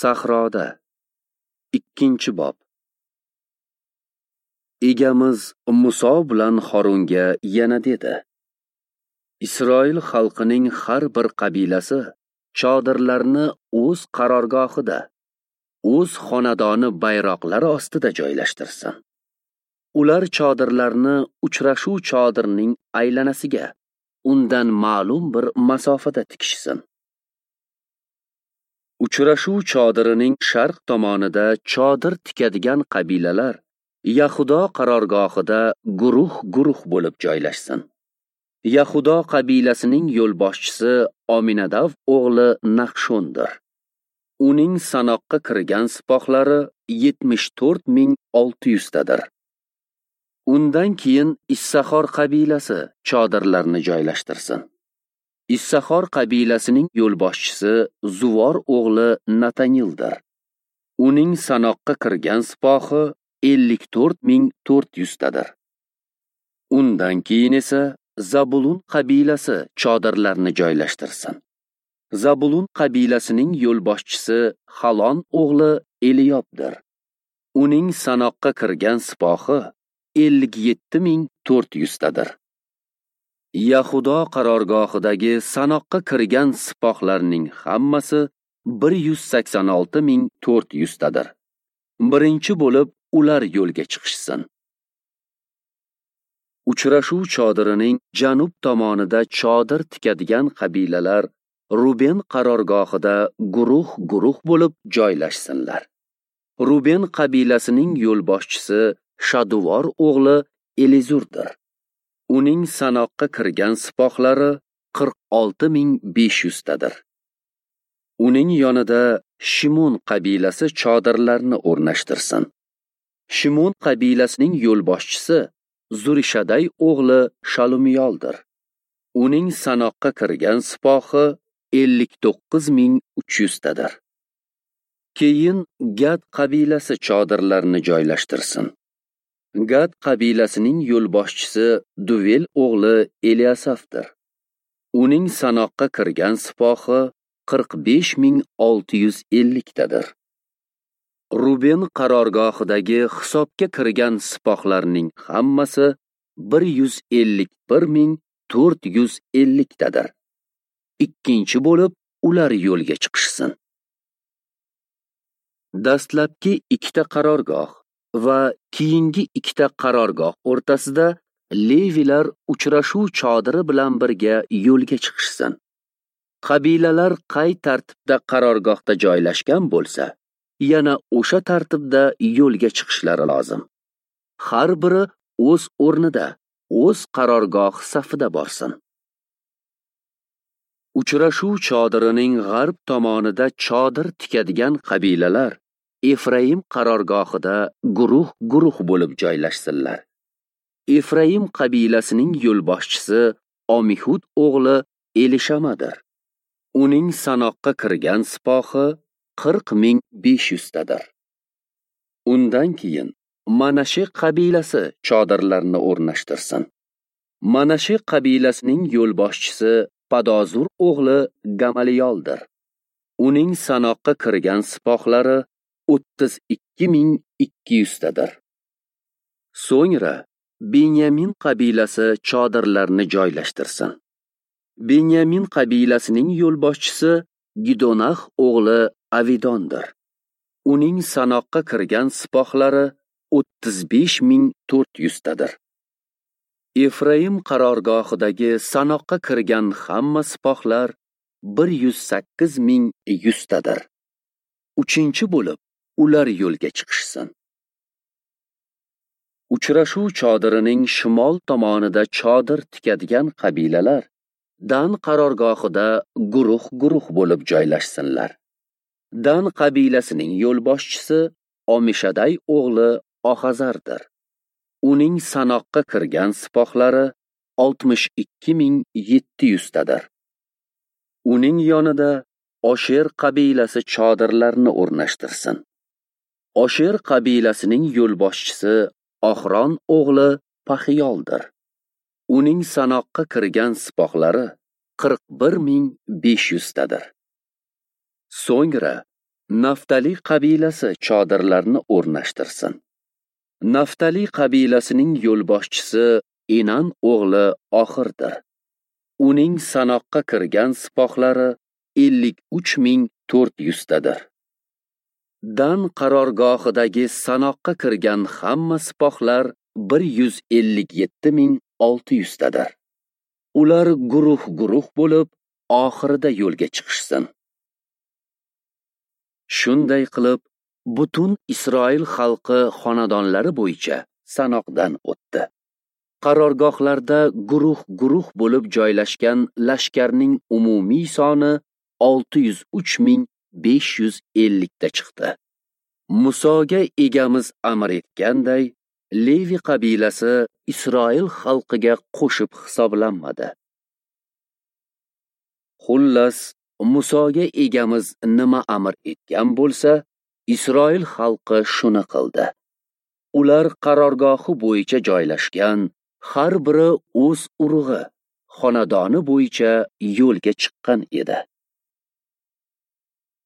Sahroda. 2-bob. Egamiz Muso bilan Horunga yana dedi: Isroil xalqining har bir qabilasi chodirlarni o'z qarorgohida, o'z xonadoni bayroqlari ostida joylashtirsin. Ular chodirlarni uchrashuv chodirining aylanasiga, undan ma'lum bir masofada tikishsin. Uchrashuv chodirining sharq tomonida chodir tikadigan qabilalar Yahudo qarorgohida guruh-guruh bo'lib joylashsin. Yahudo qabilasining yo'lboshchisi Ominadav o'g'li Nahshondir. Uning sanoqqa kirgan sipohlari 74 600 tadir. Undan keyin Issaxor qabilasi chodirlarni joylashtirsin. Issaxor qabilasining yo'lboshchisi Zuvor o'g'li Natanildir. Uning sanoqqa kirgan sipohi 54 400 tadir. Undan keyin esa Zabulun qabilasi chodirlarni joylashtirsin. Zabulun qabilasining yo'lboshchisi Halon o'g'li Eliyobdir. Uning sanoqqa kirgan sipohi 57 400 tadir. Yahudo qarorgohidagi sanoqqa kirgan sipohlarning hammasi 186 400 tadir. Birinchi bo'lib ular yo'lga chiqishsin. Uchrashuv chodirining janub tomonida chodir tikadigan qabilalar Ruben qarorgohida guruh-guruh bo'lib joylashsinlar. Ruben qabilasining yo'lboshchisi Shaduvor o'g'li Elizurdir. Uning sanoqqa kirgan sipohlari 46 500 tadir. Uning yonida Shimon qabilasi chodirlarni o'rnashtirsin. Shimon qabilasining yo'lboshchisi Zurishaday o'g'li Shalumiyoldir. Uning sanoqqa kirgan sipohi 59 300 tadir. Keyin Gad qabilasi chodirlarni joylashtirsin. Gad qabilasining yo'lboshchisi Duvel o'g'li Eliasafdir. Uning sanoqqa kirgan sipohi 45 650 tadir. Ruben qarorgohidagi hisobga kirgan sipohlarning hammasi 151 450 tadir. Ikkinchi bo'lib ular yo'lga chiqishsin. Dastlabki ikkita qarorgoh va keyingi ikkita qarorgoh o'rtasida Levilar uchrashuv chodiri bilan birga yo'lga chiqishsin. Qabilalar qay tartibda qarorgohda joylashgan bo'lsa, yana o'sha tartibda yo'lga chiqishlari lozim. Har biri o'z o'rnida, o'z qarorgoh safida borsin. Uchrashuv chodirining g'arb tomonida chodir tikadigan qabilalar Efraim qarorgohida guruh-guruh bo'lib joylashsinlar. Efraim qabilasining yo'lboshchisi Omihud o'g'li Elishamadir. Uning sanoqqa kirgan sipohi 40 500 tadir. Undan keyin Manashe qabilasi chodirlarni o'rnashtirsin. Manashe qabilasining yo'lboshchisi Padozur o'g'li Gamaliyoldir. Uning sanoqqa kirgan sipohlari 32 200 tadir. So'ngra Benyamin qabilasi chodirlarni joylashtirsin. Benyamin qabilasining yo'lboshchisi Gidonax o'g'li Avidondir. Uning sanoqqa kirgan sipohlari 35 400 tadir. Efraim qarorgohidagi sanoqqa kirgan hamma sipohlar 108 100 tadir. Uchinchi bo'lib ular yo'lga chiqishsin. Uchrashuv chodirining shimol tomonida chodir tikadigan qabilalar Dan qarorgohida guruh-guruh bo'lib joylashsinlar. Dan qabilasining yo'lboshchisi Omishaday o'g'li Ohazardir. Uning sanoqqa kirgan sipohlari 62 700 tadir. Uning yonida Osher qabilasi chodirlarni o'rnashtirsin. Osher qabilasining yo'lboshchisi Oxron o'g'li Paxiyoldir. Uning sanoqqa kirgan sipohlari 41 500 tadir. So'ngra Naftali qabilasi chodirlarni o'rnashtirsin. Naftali qabilasining yo'lboshchisi Enan o'g'li Oxirdir. Uning sanoqqa kirgan sipohlari 53 400 tadir. Dan qarorgohidagi sanoqqa kirgan hamma sipohlar 157 600 tadir. Ular guruh-guruh bo'lib, oxirida yo'lga chiqishsin. Shunday qilib, butun Isroil xalqi xonadonlari bo'yicha sanoqdan o'tdi. Qarorgohlarda guruh-guruh bo'lib joylashgan lashkarning umumiy soni 603 550 ta chiqdi. Musoga Egamiz amr etganday, Levi qabilasi Isroil xalqiga qo'shib hisoblanmadi. Xullas, Musoga Egamiz nima amr etgan bo'lsa, Isroil xalqi shuni qildi. Ular qarorgohi bo'yicha joylashgan, har biri o'z urug'i, xonadoni bo'yicha yo'lga chiqqan edi.